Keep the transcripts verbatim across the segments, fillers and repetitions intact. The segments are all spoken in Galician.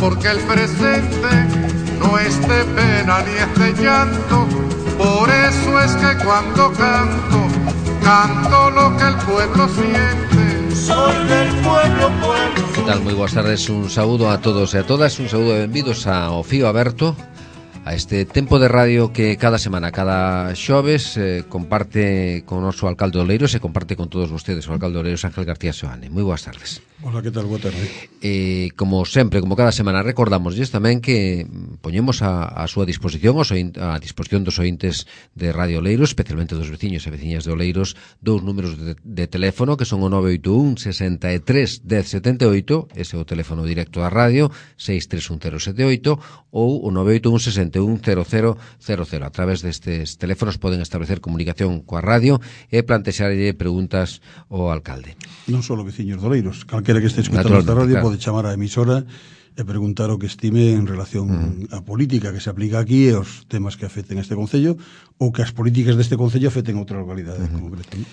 porque el presente no es de pena ni es de llanto. Por eso es que cuando canto, canto lo que el pueblo siente. Soy del pueblo, pueblo. Que tal? Moi boas tardes, un saúdo a todos e a todas, un saúdo e benvidos ao Fío Aberto, a este tempo de radio que cada semana, cada xoves eh, comparte con o noso alcalde de Oleiros e comparte con todos vostedes, o alcalde de Oleiros, Ángel García Soane. Moi boas tardes. Hola, que tal? Boa tarde. Eh, como sempre, como cada semana, recordamosles tamén que poñemos a, a súa disposición, os oin, a disposición dos ointes de Radio Oleiros, especialmente dos veciños e veciñas de Oleiros, dous números de, de teléfono que son o nove oito un, sesenta e tres, dez setenta e oito, ese é o teléfono directo da radio, seis tres un cero sete oito, ou o nove oito un, sesenta e un, cero cero cero cero. A través destes teléfonos poden establecer comunicación coa radio e plantexarlle preguntas ao alcalde. Non só veciños de Oleiros, calquera que este escutando esta radio claro. Pode chamar á emisora e preguntar o que estime en relación uh-huh. á política que se aplica aquí e os temas que afecten este concello ou que as políticas deste concello afecten outra localidade uh-huh. concreta. ¿No?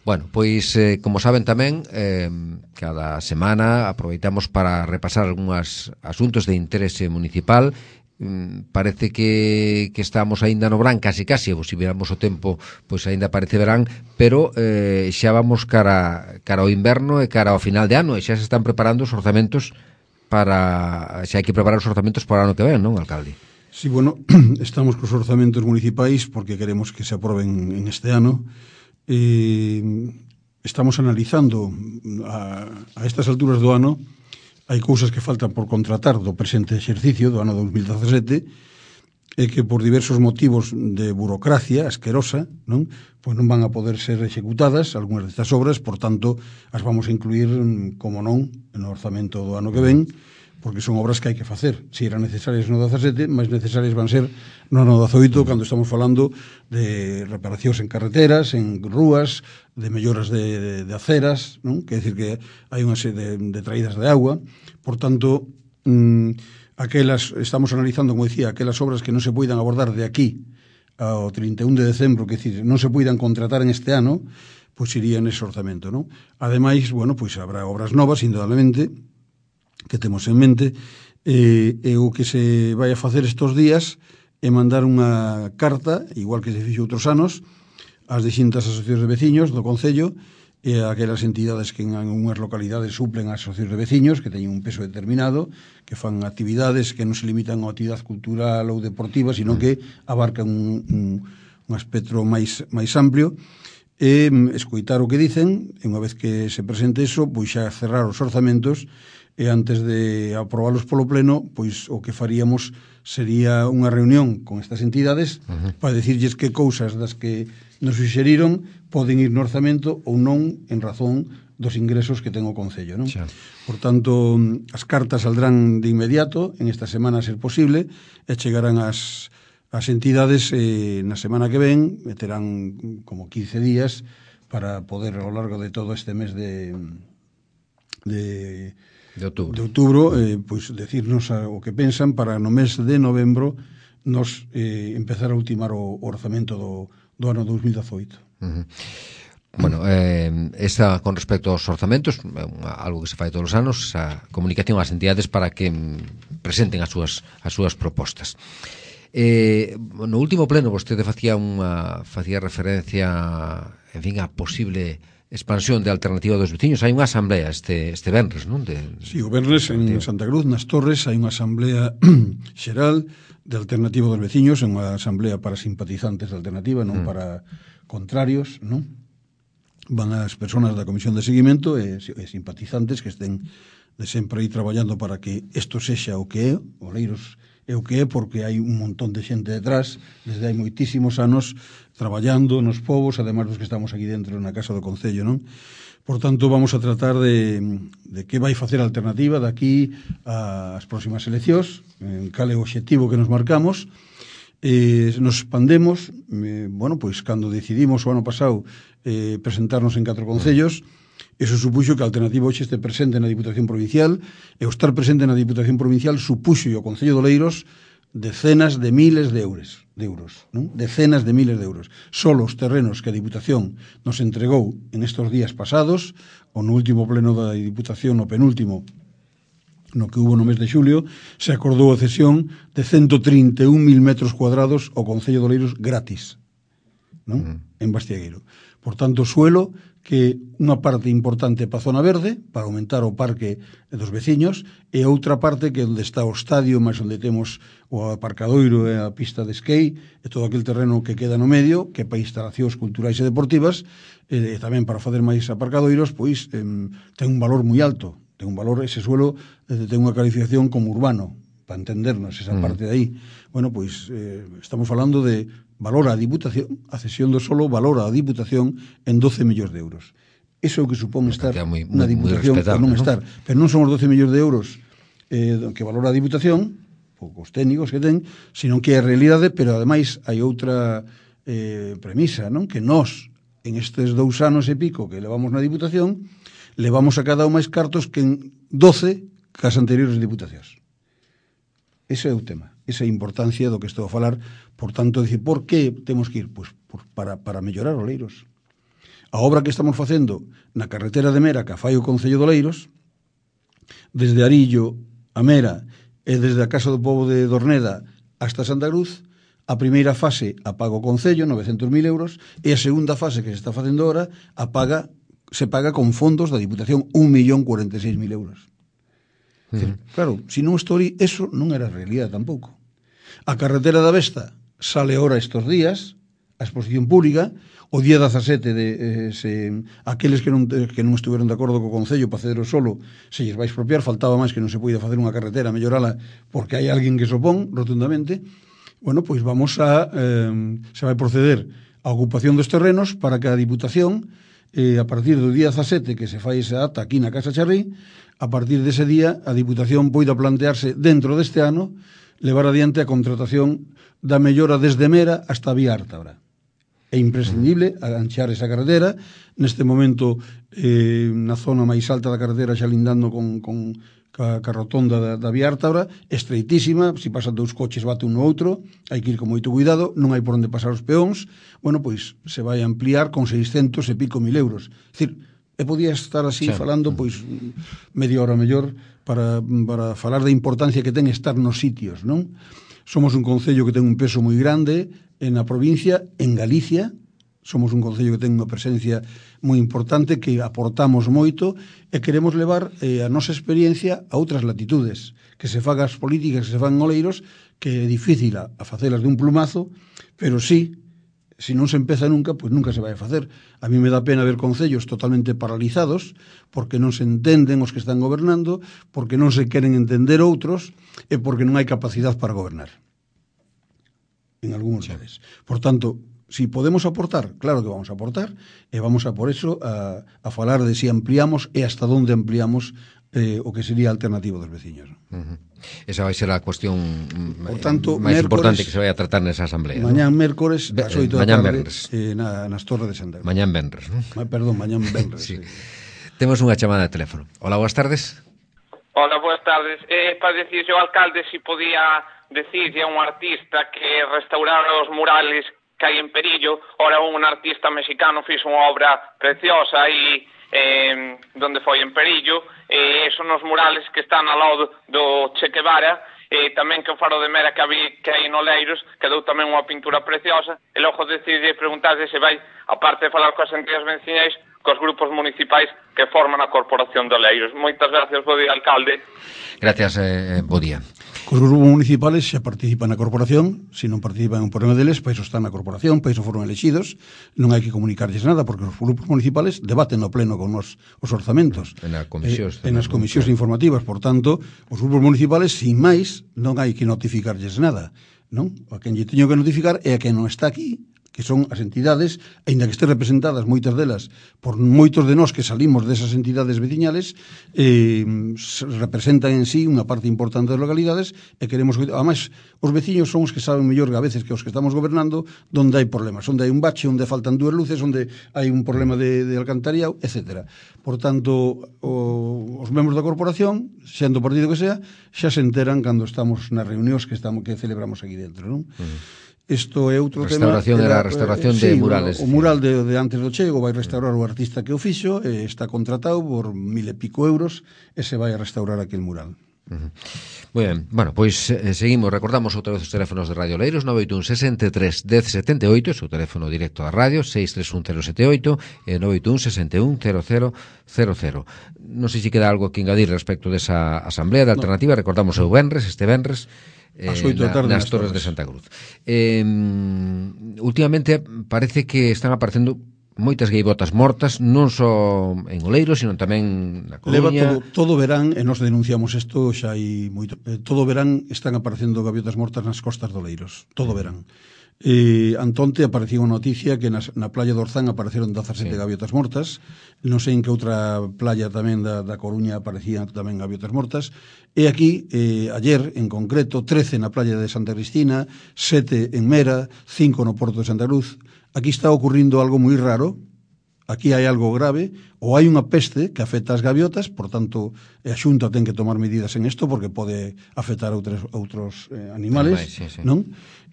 Bueno, pois, eh, como saben tamén, eh, cada semana aproveitamos para repasar algúns asuntos de interese municipal. Mm, parece que, que estamos aínda no verán, casi casi, ou se viramos o tempo, pois aínda parece verán, pero eh, xa vamos cara, cara ao inverno e cara ao final de ano, e xa se están preparando os orzamentos para, xa hai que preparar os orzamentos para o ano que ven, non, alcalde? Sí, bueno, estamos cos orzamentos municipais porque queremos que se aproben en este ano. Eh, estamos analizando a, a estas alturas do ano. Hai cousas que faltan por contratar do presente exercicio do ano dos mil dezasete e que por diversos motivos de burocracia asquerosa, non, pois non van a poder ser executadas algunhas destas obras, por tanto, as vamos a incluir, como non, no orzamento do ano que ven, porque son obras que hai que facer. Se eran necesarias no dezasete, máis necesarias van ser no ano dezaoito, cando estamos falando de reparacións en carreteras, en rúas, de melloras de, de, de aceras, non? Quer decir que hai unha serie de, de traídas de agua. Por tanto, mmm, aquelas, estamos analizando, como decía, aquelas obras que non se poidan abordar de aquí ao trinta e un de decembro, que decir, non se poidan contratar en este ano, pois irían ese orzamento, non? Ademais, bueno, pois habrá obras novas, indudablemente, que temos en mente, e, e o que se vai a facer estes días é mandar unha carta, igual que se fixo outros anos, ás distintas asociacións de veciños do Concello e a aquelas entidades que en unhas localidades suplen as asociacións de veciños, que teñen un peso determinado, que fan actividades que non se limitan a actividade cultural ou deportiva, sino que abarcan un, un, un espectro máis, máis amplio, e escoitar o que dicen, e unha vez que se presente eso, pois xa cerrar os orzamentos, e antes de aprobalos polo pleno, pois o que faríamos sería unha reunión con estas entidades uh-huh. para decirlles que cousas das que nos suxeriron poden ir no orzamento ou non en razón dos ingresos que ten o Concello, non? Xa. Por tanto, as cartas saldrán de inmediato, en esta semana a ser posible, e chegarán as, as entidades eh, na semana que ven, e terán como quince días para poder, ao largo de todo este mes de... de de outubro, de outubro eh, pois decirnos a, o que pensan para no mes de novembro nos eh, empezar a ultimar o, o orzamento do, do ano dos mil dezaoito. Uh-huh. Bueno, eh, esa con respecto aos orzamentos, algo que se fai todos os anos, a comunicación ás entidades para que presenten as súas, as súas propostas. Eh, no último pleno vostede facía unha facía referencia, en fin, a posible expansión de Alternativa dos Veciños. Hai unha asamblea este, este venres, non? De, sí, o venres en Santa Cruz, nas Torres, hai unha asamblea xeral de Alternativa dos Veciños, é unha asamblea para simpatizantes de Alternativa, non mm. para contrarios, non? Van as persoas da Comisión de Seguimento e, e simpatizantes que estén de sempre aí traballando para que isto sexa o que é, Oleiros é o que é, porque hai un montón de xente detrás, desde hai moitísimos anos, traballando nos povos, ademais dos que estamos aquí dentro na Casa do Concello, non? Por tanto, vamos a tratar de, de que vai facer a Alternativa daqui ás próximas eleccións, en cal é o obxectivo que nos marcamos, eh, nos expandemos, eh, bueno, pois, cando decidimos o ano pasado eh, presentarnos en catro concellos, eso supuxo que a Alternativa hoxe este presente na Diputación Provincial, e o estar presente na Diputación Provincial supuxo o Concello de Oleiros decenas de miles de euros, de euros, non? Decenas de miles de euros. Solo os terrenos que a Diputación nos entregou en estes días pasados, ou no último pleno da Diputación, no penúltimo, no que hubo no mes de xulio, se acordou a cesión de ciento trinta e un mil metros cuadrados ao Concello de Oleiros gratis, non? Uh -huh. En Bastiagueiro. Por tanto, suelo que unha parte importante para a zona verde, para aumentar o parque dos veciños, e outra parte que onde está o estadio, máis onde temos o aparcadoiro e a pista de skate, e todo aquel terreno que queda no medio, que para instalacións culturais e deportivas, e tamén para fazer máis aparcadoiros, pois eh, ten un valor moi alto, ten un valor, ese suelo eh, ten unha calificación como urbano, para entendernos esa mm. parte de aí. Bueno, pois eh, estamos falando de valor a Diputación, a cesión do solo valora a Diputación en doce millóns de euros. Eso é o que supón estar muy, muy, na Diputación ou non, ¿no? estar. Pero non son os doce millóns de euros eh, que valora a Diputación, os técnicos que ten, sino que é a realidade, pero ademais hai outra eh, premisa, non? Que nós, en estes dous anos e pico que levamos na Diputación, levamos a cada un máis cartos que en doce cas anteriores Diputacións. Ese é o tema, esa é a importancia do que estou a falar. Por tanto, dicir, por que temos que ir? Pois por, para, para mellorar Oleiros. A obra que estamos facendo na carretera de Mera, que fai o Concello de Oleiros, desde Arillo a Mera e desde a Casa do Pobo de Dorneda hasta Santa Cruz, a primeira fase a paga o Concello, novecentos mil euros, e a segunda fase que se está facendo ahora a paga, se paga con fondos da Diputación un millón cuarenta e seis mil euros. Uh -huh. Claro, se non estou aí, eso non era realidade tampouco. A carretera da Vesta sale ahora estes días, a exposición pública, o día dezasete de eh, se, aqueles que non, que non estuveron de acordo co Concello para ceder o solo, se lles vai expropiar, faltaba máis que non se poida facer unha carretera, mellorala, porque hai alguén que se opón rotundamente. Bueno, pois vamos a, eh, se vai proceder a ocupación dos terrenos para que a Diputación, eh, a partir do día dezasete que se fai esa ata aquí na Casa Charrí, a partir dese día a Diputación poida plantearse dentro deste ano levar adiante a contratación da mellora desde Mera hasta a Vía Ártabra. É imprescindible aganchar esa carretera. Neste momento, eh, na zona máis alta da carretera, xa lindando con, con ca, ca rotonda da, da Vía Ártabra, estreitísima, se pasan dous coches bate un no outro, hai que ir con moito cuidado, non hai por onde pasar os peóns. Bueno, pois se vai a ampliar con seiscentos e pico mil euros. É dicir, e podía estar así sí. falando pois media hora mellor para, para falar da importancia que ten estar nos sitios, non? Somos un concello que ten un peso moi grande en a provincia, en Galicia, somos un concello que ten unha presencia moi importante, que aportamos moito e queremos levar eh, a nosa experiencia a outras latitudes, que se fagan as políticas que se fan en Oleiros, que é difícil a, a facelas de un plumazo, pero sí, se non se empeza nunca, pois nunca se vai a facer. A mí me dá pena ver concellos totalmente paralizados, porque non se entenden os que están gobernando, porque non se queren entender outros, e porque non hai capacidade para gobernar. En algúns lugares. Por tanto, si podemos aportar, claro que vamos a aportar, e vamos a por eso a, a falar de si ampliamos e hasta onde ampliamos eh, o que sería a alternativa dos veciños. Uh-huh. Esa vai ser a cuestión por tanto, máis importante que se vai a tratar nesa asamblea. Mañán ¿no? mércores, Be- ás oito da mañán tarde, venres. eh, na, nas Torres de Santa Cruz. Mañán venres, ¿no? Ma, perdón, mañán venres. Sí. Sí. Temos unha chamada de teléfono. Hola, boas tardes. Hola, boas tardes. Eh, para decirse ao alcalde si podía decirse a un artista que restaurara os murales que hai en Perillo. Ora un artista mexicano fixo unha obra preciosa aí eh, donde foi en Perillo, e eh, son os murales que están ao lado do Che Guevara, e eh, tamén que o Faro de Mera que, había, que hai en Oleiros quedou tamén unha pintura preciosa, e logo decide preguntarse se vai, aparte de falar coas entidades veciñais, cos grupos municipais que forman a Corporación de Oleiros. Moitas gracias, bo día, alcalde. Gracias, eh, bo día. Os grupos municipales xa participan na corporación, se non participan en un problema deles, para iso están na corporación, para iso foron elexidos, non hai que comunicarlles nada, porque os grupos municipales debaten no pleno con os, os orzamentos. En as comisións. Eh, en as comisións informativas, por tanto, os grupos municipales, sin máis, non hai que notificarlles nada, non? A quen lle teño que notificar é a quen non está aquí, que son as entidades, aínda que estén representadas moitas delas por moitos de nós que salimos desas entidades veciñales, eh, representan en sí unha parte importante das localidades e queremos, además, os veciños son os que saben mellor a veces que os que estamos gobernando onde hai problemas, onde hai un bache, onde faltan dúas luces, onde hai un problema de, de alcantarillado, etcétera. Por tanto, o, os membros da corporación, sendo o partido que sea, xa se enteran cando estamos nas reunións que estamos que celebramos aquí dentro, non? Uh-huh. Isto é outro restauración tema. Restauración era a restauración eh, de sí, murales. O, o mural de, de antes do chego vai restaurar o artista que o fixo, eh, está contratado por mil e pico euros e se vai a restaurar aquel mural. Uh-huh. Moi ben, bueno, pois eh, seguimos, recordamos outra vez os teléfonos de Radio Oleiros, nove oito un sesenta e tres dez setenta e oito, o seu teléfono directo da radio, seis tres un cero sete oito e nove oito un sesenta e un cero cero cero cero. Non sei se queda algo que engadir respecto desa asamblea de alternativa, no. Recordamos o venres, este venres, eh, na, nas Torres de Santa Cruz. Eh, últimamente parece que están aparecendo moitas gaivotas mortas, non só en Oleiros, sino tamén na Coruña. Leva todo, todo verán, e nos denunciamos isto xa hai moito, eh, todo verán están aparecendo gaviotas mortas nas costas de Oleiros, todo verán. E antonte aparecía unha noticia que nas, na playa de Orzán apareceron dezasete sí. gaviotas mortas, non sei en que outra playa tamén da, da Coruña aparecían tamén gaviotas mortas, e aquí, eh, ayer en concreto, trece na playa de Santa Cristina, sete en Mera, cinco no Porto de Santa Cruz. Aquí está ocurrindo algo moi raro, aquí hai algo grave, ou hai unha peste que afecta as gaviotas, por tanto, a Xunta ten que tomar medidas en isto porque pode afectar a outros, outros eh, animales, Animais, sí, sí. non?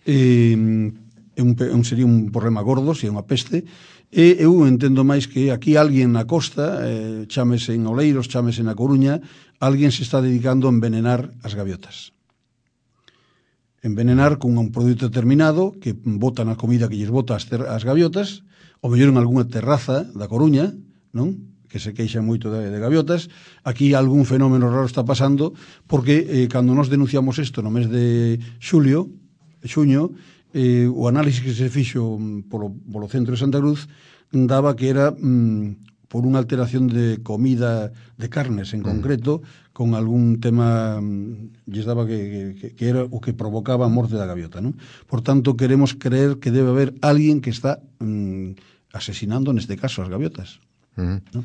Eh, un, un, sería un problema gordo se é unha peste, e eu entendo máis que aquí alguén na costa, eh, chámese en Oleiros, chámese na Coruña, alguén se está dedicando a envenenar as gaviotas. Envenenar con un produto determinado que botan a comida que lles bota as, ter, as gaviotas, ou mellor en algunha terraza da Coruña, non? Que se queixa moito de, de gaviotas. Aquí algún fenómeno raro está pasando, porque eh, cando nos denunciamos isto no mes de xulio, xuño, eh, o análisis que se fixo polo, polo centro de Santa Cruz daba que era mm, por unha alteración de comida de carnes en concreto, mm. con algún tema lles daba que, que, que era o que provocaba a morte da gaviota, non? Por tanto, queremos creer que debe haber alguén que está mm, asesinando neste caso as gaviotas. Uh-huh. ¿No?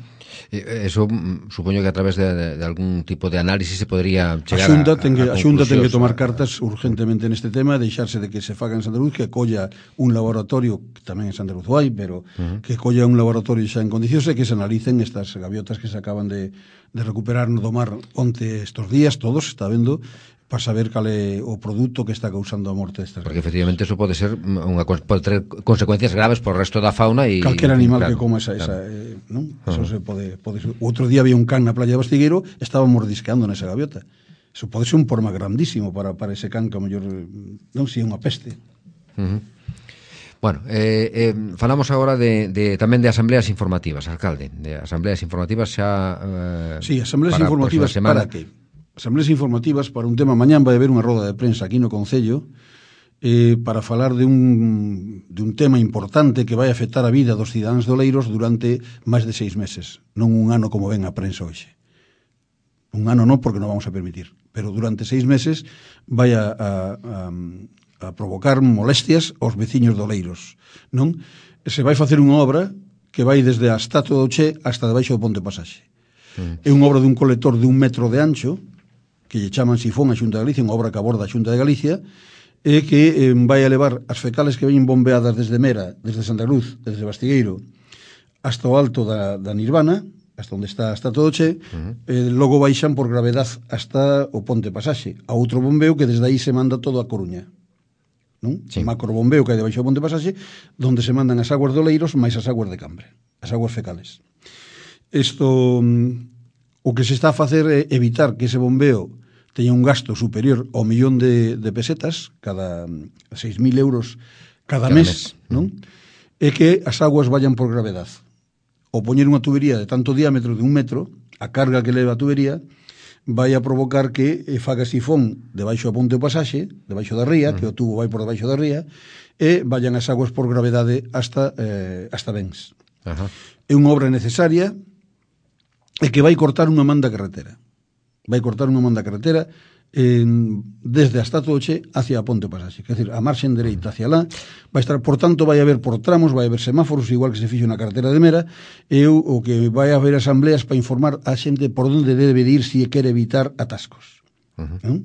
Eso supoño que a través de, de, de algún tipo de análisis se podría chegar a Xunta ten que, a, a, a Xunta ten que tomar a, cartas urgentemente neste tema, deixarse de que se faga en Santa Cruz, que colla un laboratorio, que tamén en Santa Cruz hai, pero uh-huh. que colla un laboratorio xa en condicións e que se analicen estas gaviotas que se acaban de, de recuperar no do mar onte estos días, todos, está vendo, para saber cal é o produto que está causando a morte destas. Porque efectivamente eso pode ser unha pode ter consecuencias graves por o resto da fauna e calquera animal claro, que coma esa, claro. esa eh, non? Uh-huh. Eso se pode, pode ser. Outro día había un can na playa de Bastigueiro, estaba mordisqueando nesa gaviota. Eso pode ser un problema grandísimo para, para ese can que a mellor non si é unha peste. Uh-huh. Bueno, eh, eh, falamos agora de, de tamén de asambleas informativas, alcalde, de asambleas informativas xa eh, sí, asambleas informativas para que asambleas informativas para un tema. Mañán vai haber unha roda de prensa aquí no Concello eh, para falar de un, de un tema importante que vai afectar a vida dos cidadáns de Oleiros durante máis de seis meses, non un ano como ven a prensa hoxe. Un ano non, porque non vamos a permitir, pero durante seis meses vai a, a, a, a provocar molestias aos veciños de Oleiros, non? Se vai facer unha obra que vai desde a Estatua do Che hasta debaixo do Ponte Pasaxe. Mm. É unha obra dun colector de un metro de ancho, que lle chaman Sifón a Xunta de Galicia, unha obra que aborda a Xunta de Galicia, e que eh, vai a levar as fecales que veñen bombeadas desde Mera, desde Santa Cruz, desde Bastigueiro, hasta o alto da, da Nirvana, hasta onde está a Estatua do Che, uh-huh. e logo baixan por gravedad hasta o Ponte Pasaxe, a outro bombeo que desde aí se manda todo a Coruña. Non? Sí. O macro bombeo que hai debaixo do Ponte Pasaxe, donde se mandan as aguas de Oleiros máis as aguas de Cambre, as aguas fecales. Isto... O que se está a facer é evitar que ese bombeo teña un gasto superior ao millón de, de pesetas, cada seis mil euros cada, cada mes, mes, non? E que as aguas vayan por gravedad. O poñer unha tubería de tanto diámetro de un metro, a carga que leva a tubería, vai a provocar que faga sifón debaixo do Ponte do Pasaxe, debaixo da ría, mm. que o tubo vai por debaixo da ría, e vayan as aguas por gravedade hasta, eh, hasta Bens. Ajá. É unha obra necesaria e que vai cortar unha man da carretera. Vai cortar unha man da carretera en, desde a Estatua do Che hacia a Ponte do Pasaxe. Quer dizer, a marxen dereita hacia lá, vai estar, por tanto, vai haber por tramos, vai haber semáforos, igual que se fixo na carretera de Mera, e o, o que vai haber asambleas para informar a xente por onde debe de ir se quere evitar atascos. Uh-huh. ¿Eh?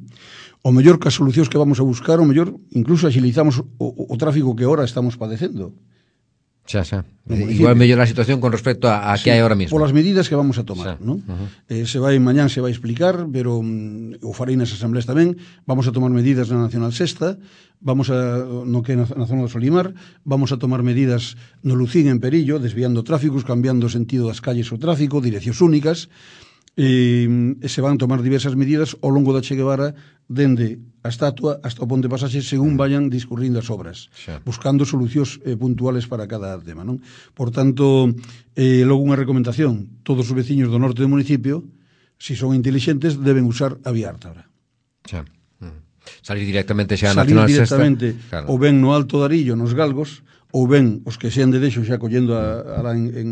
O mellor que as solucións que vamos a buscar, o mellor, incluso agilizamos o, o, o tráfico que ahora estamos padecendo. Xa, xa. Igual mellor a situación con respecto a, a sí, que hai ahora mismo. Polas medidas que vamos a tomar, non? Uh-huh. Eh, se vai mañán, se vai explicar, pero um, o farei nas asambleas tamén. Vamos a tomar medidas na Nacional Sexta, vamos a, no que na, na zona do Solimar, vamos a tomar medidas no Lucín en Perillo, desviando tráficos, cambiando o sentido das calles o tráfico, direccións únicas, e, e se van tomar diversas medidas ao longo da Che Guevara dende a estatua hasta o ponte pasaxe según vayan discurrindo as obras, xa, buscando solucións eh, puntuales para cada tema, non? Por tanto, eh, logo unha recomendación, todos os veciños do norte do municipio, si son intelixentes, deben usar a vía Ártabra. xa. Salir directamente xa a Salir Nacional directamente, Sexta, claro. ou ben no Alto Darillo, nos Galgos, ou ben os que sean de deixo xa collendo a, a la en, en,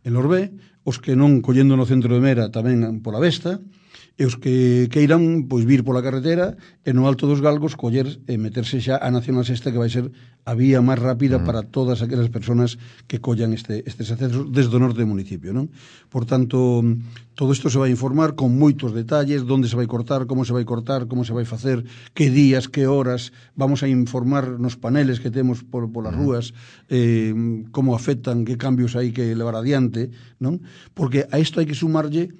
en Lorbé, os que non collendo no centro de Mera tamén pola Vesta, e os que queiran pois vir pola carretera e no Alto dos Galgos coller e meterse xa a Nacional Sexta, que vai ser a vía máis rápida uh -huh. para todas aquelas persoas que collan este, estes accesos desde o norte do municipio, non? Por tanto, todo isto se vai informar con moitos detalles, onde se vai cortar, como se vai cortar, como se vai facer, que días, que horas, vamos a informar nos paneles que temos por, polas uh -huh. rúas, eh, como afectan, que cambios hai que levar adiante, non? Porque a isto hai que sumarlle,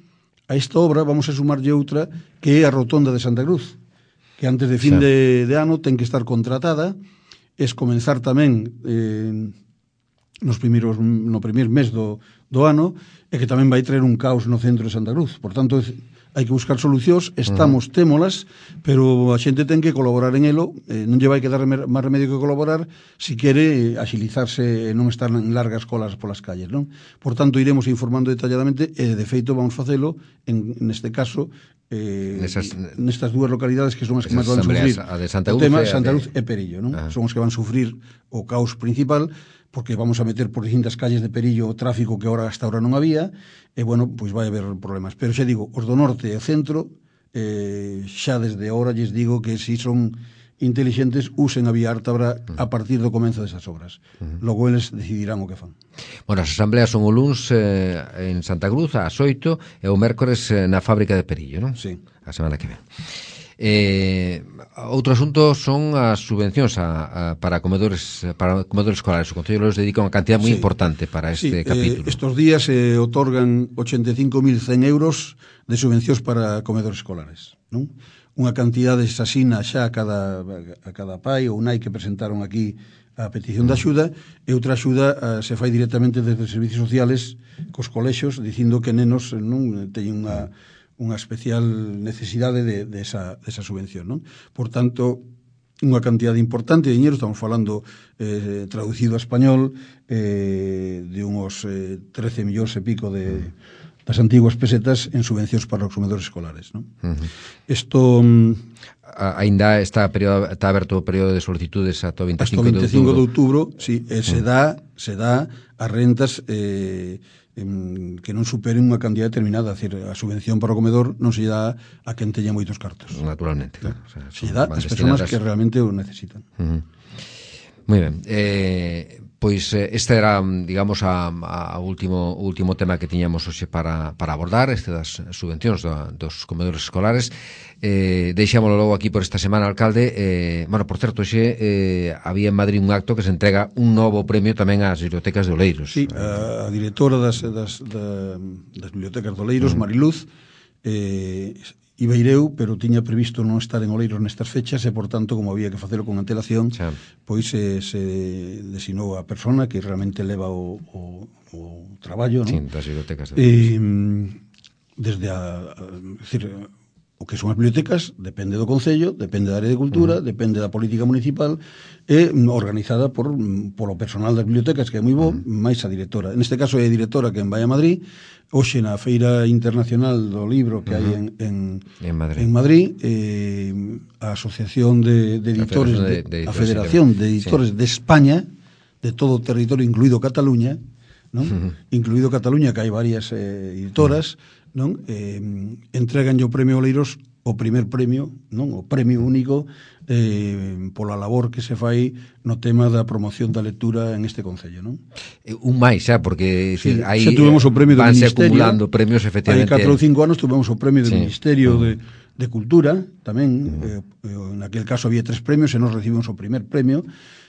a esta obra vamos a sumarlle outra, que é a Rotonda de Santa Cruz, que antes de fin sí. de, de ano ten que estar contratada, es comenzar tamén eh, nos primeiros, no primeiro mes do, do ano, e que tamén vai traer un caos no centro de Santa Cruz. Por tanto, hai que buscar solucións, estamos, uh -huh. témolas, pero a xente ten que colaborar en elo, eh, non lle vai quedar máis remedio que colaborar se quere agilizarse e non estar en largas colas polas calles, non? Por tanto, iremos informando detalladamente e, de feito, vamos facelo, en, neste caso, eh, Nesas, nestas dúas localidades que son as que máis van sufrir a de Santa Cruz, o tema e Santa de... Cruz e Perillo, non? Ah. Son os que van sufrir o caos principal, porque vamos a meter por distintas calles de Perillo o tráfico que ahora hasta ahora non había, e, bueno, pois vai haber problemas. Pero xa digo, os do norte e o centro, eh, xa desde ahora lles digo que si son intelixentes, usen a vía Ártabra a partir do comenzo desas obras. Uh -huh. Logo eles decidirán o que fan. Bueno, as asambleas son o luns eh, en Santa Cruz ás oito e o mércores eh, na fábrica de Perillo, non? Sí. A semana que ven. Eh, outro asunto son as subvencións a, a, para comedores para comedores escolares. O Concello los dedica unha cantidad moi sí. importante para este sí, capítulo. Eh, estos días se eh, otorgan ochenta e cinco mil cen euros de subvencións para comedores escolares, non? Unha cantidade asasina xa a cada, a cada pai ou nai que presentaron aquí a petición de axuda, e outra axuda uh, se fai directamente desde os servicios sociales cos colexios, dicindo que nenos non teñen unha, unha especial necesidade de, de, esa, de esa subvención, non? Por tanto, unha cantidade importante de dinero, estamos falando eh, traducido a español, eh, de uns eh, trece millóns e pico de das antiguas pesetas en subvencións para os comedores escolares, non? Isto uh -huh. Ainda está período, está aberto o período de solicitudes ata o vinte e cinco de outubro, sí, e se dá, se dá as rentas eh, en, que non superen unha cantidad determinada, é dicir, a subvención para o comedor non se dá a quen teña moitos cartos. Naturalmente, claro. O sea, se dá as persoas que realmente o necesitan. Uh -huh. Moi ben. Eh, pois este era, digamos, a, a último último tema que tiñamos hoxe para, para abordar, este das subvencións do, dos comedores escolares. Eh, deixámoslo logo aquí por esta semana, alcalde. Eh, bueno, por certo, hoxe eh, había en Madrid un acto que se entrega un novo premio tamén ás bibliotecas de Oleiros. Sí, a, a directora das, das, das, das bibliotecas de Oleiros, uh -huh. Mariluz, eh, Ibeireu, pero tiña previsto non estar en Oleiros nestas fechas e, por tanto, como había que facelo con antelación, xa. Pois se, se designou a persona que realmente leva o, o, o traballo, non? Sí, das bibliotecas. E, desde a, a decir, o que son as bibliotecas depende do Concello, depende da área de cultura, uh -huh. depende da política municipal, e organizada por polo personal das bibliotecas, que é moi bo, uh -huh. máis a directora. Neste caso é a directora que vai a Madrid. Hoxe na Feira Internacional do Libro que uh -huh. hai en, en, en Madrid, en Madrid eh, a Asociación de, de Editores, de, de, de, a Federación de Editores sí. de España, de todo o territorio, incluído Cataluña, non? Uh -huh. Incluído Cataluña, que hai varias eh, editoras, uh -huh. non? Eh, entregan o premio Oleiros, o primer premio, non? O premio único eh, pola labor que se fai no tema da promoción da lectura en este Concello, non? Un máis, xa, porque sí, aí xa tuvemos o premio do Ministerio, acumulando premios, efectivamente. Hai catro ou cinco anos tuvemos o premio do sí. Ministerio uh -huh. de, de Cultura, tamén, uh -huh. eh, en aquel caso había tres premios e nos recibimos o primer premio.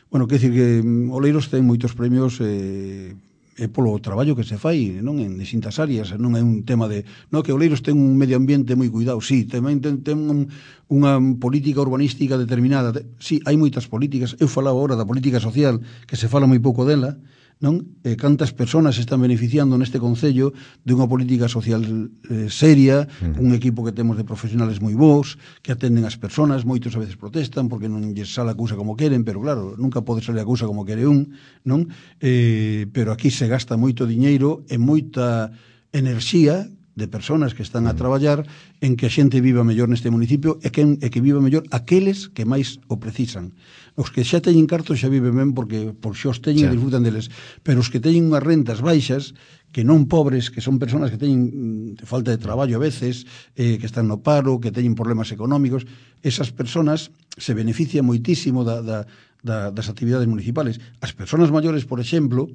Bueno, quer dicir que Oleiros ten moitos premios eh, é polo traballo que se fai, non, en distintas áreas, non é un tema de, non, que Oleiros ten un medio ambiente moi cuidado, sí, tamén ten, ten un, unha política urbanística determinada, sí, hai moitas políticas, eu falaba agora da política social, que se fala moi pouco dela, non? Eh, cantas persoas están beneficiando neste concello de unha política social eh, seria, uh-huh. un equipo que temos de profesionales moi bons, que atenden as persoas, moitos a veces protestan porque non lles sale a cousa como queren, pero claro, nunca pode salir a cousa como quere un, non? Eh, pero aquí se gasta moito diñeiro e moita enerxía de persoas que están a traballar en que a xente viva mellor neste municipio e que, e que viva mellor aqueles que máis o precisan. Os que xa teñen cartos xa viven ben porque por xos teñen e disfrutan deles, pero os que teñen unhas rentas baixas, que non pobres, que son persoas que teñen mm, falta de traballo a veces, eh, que están no paro, que teñen problemas económicos, esas persoas se benefician moitísimo da, da, da, das actividades municipales. As persoas maiores, por exemplo,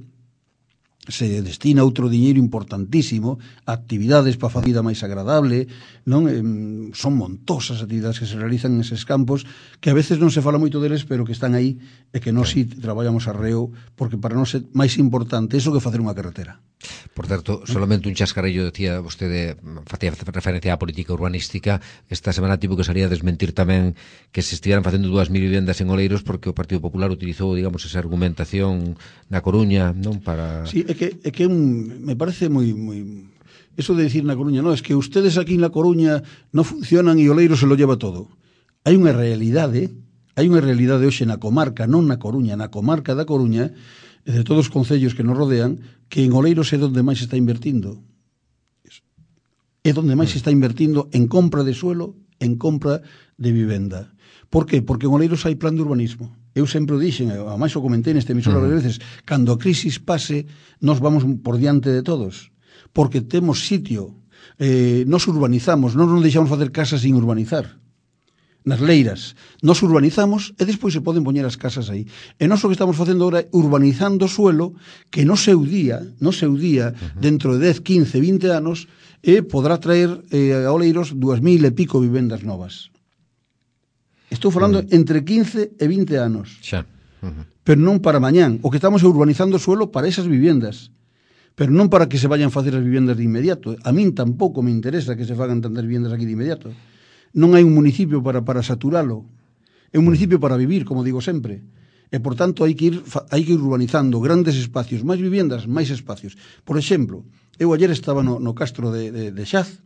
se destina outro diñeiro importantísimo a actividades para facer a vida máis agradable, non? Eh, son montosas actividades que se realizan neses campos que a veces non se fala moito deles, pero que están aí e que nós si traballamos arreo, porque para nós é máis importante iso que facer unha carretera. Por certo, solamente un chascarello, decía vostede, facía referencia á política urbanística. Esta semana tivo que salir a desmentir tamén que se estiveran facendo dúas mil vivendas en Oleiros porque o Partido Popular utilizou, digamos, esa argumentación na Coruña, non? Para... Sí, é que, é que un, me parece moi... moi... Eso de decir na Coruña, no, es que ustedes aquí na Coruña non funcionan e Oleiros se lo lleva todo. Hai unha realidade, hai unha realidade hoxe na comarca, non na Coruña, na comarca da Coruña, de todos os concellos que nos rodean, que en Oleiros é onde máis se está invertindo. É onde máis se está invertindo en compra de suelo, en compra de vivenda. Por qué? Porque en Oleiros hai plan de urbanismo. Eu sempre o dixen, a máis o comentei neste emisor uh-huh. varias veces, cando a crisis pase, nos vamos por diante de todos, porque temos sitio, eh, nos urbanizamos, non nos deixamos facer casas sin urbanizar. Nas leiras, nos urbanizamos e despois se poden poñer as casas aí. E nós o que estamos facendo agora é urbanizando o suelo que no seu día, no seu día, uh-huh. dentro de dez, quince, vinte anos, eh, podrá traer eh, a Oleiros dúas mil e pico vivendas novas. Estou falando uh-huh. entre quince e vinte anos. Xa. Uh-huh. Pero non para mañán. O que estamos é urbanizando o suelo para esas viviendas. Pero non para que se vayan facer as viviendas de inmediato. A min tampouco me interesa que se fagan tantas viviendas aquí de inmediato. Non hai un municipio para, para saturalo. É un municipio para vivir, como digo sempre. E, por tanto, hai que ir, hai que ir urbanizando grandes espacios, máis viviendas, máis espacios. Por exemplo, eu ayer estaba no, no castro de, de, de Xaz,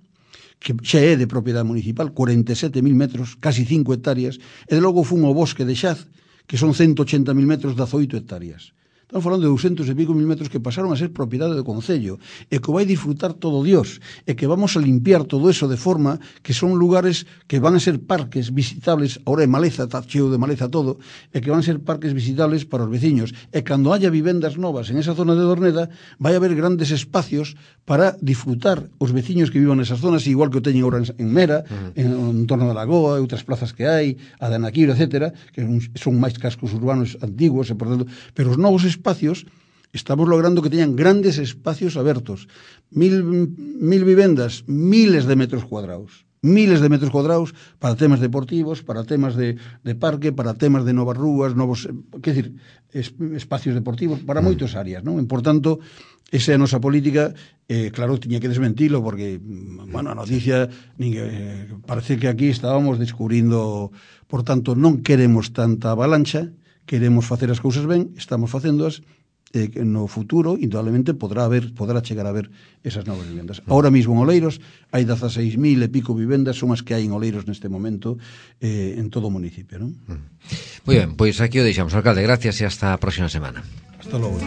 que xa é de propiedade municipal, cuarenta e sete mil metros, casi cinco hectáreas, e de logo fun ao bosque de Xaz, que son ciento ochenta mil metros, dezoito hectáreas. Estamos falando de ducentos e pico mil metros que pasaron a ser propiedade do Concello e que vai disfrutar todo Dios e que vamos a limpiar todo eso de forma que son lugares que van a ser parques visitables, ahora é maleza, está cheo de maleza todo, e que van a ser parques visitables para os veciños. E cando haya vivendas novas en esa zona de Dorneda, vai haber grandes espacios para disfrutar os veciños que vivan nesas zonas, igual que o teñen ahora en Mera, uh-huh. en, en torno da Lagoa, e outras plazas que hai, a de Anaquiro, etcétera, que son máis cascos urbanos antigos, e por tanto, pero os novos espacios, estamos logrando que teñan grandes espacios abertos. Mil, mil vivendas, miles de metros cuadrados. Miles de metros cuadrados para temas deportivos, para temas de, de parque, para temas de novas rúas, novos, quer dizer, es, espacios deportivos, para moitas áreas, non? E, por tanto, esa é a nosa política. Eh, claro, tiña que desmentilo, porque, bueno, a noticia, ninguén, eh, parece que aquí estábamos descubrindo, por tanto, non queremos tanta avalancha, queremos facer as cousas ben, estamos facéndoas, eh, no futuro, indudablemente, podrá haber, podrá chegar a ver esas novas vivendas. Ahora mismo en Oleiros hai dezaseis mil e pico vivendas, son as que hai en Oleiros neste momento, eh, en todo o municipio, non? Moi ben, pois aquí o deixamos, alcalde, gracias e hasta a próxima semana. Hasta logo.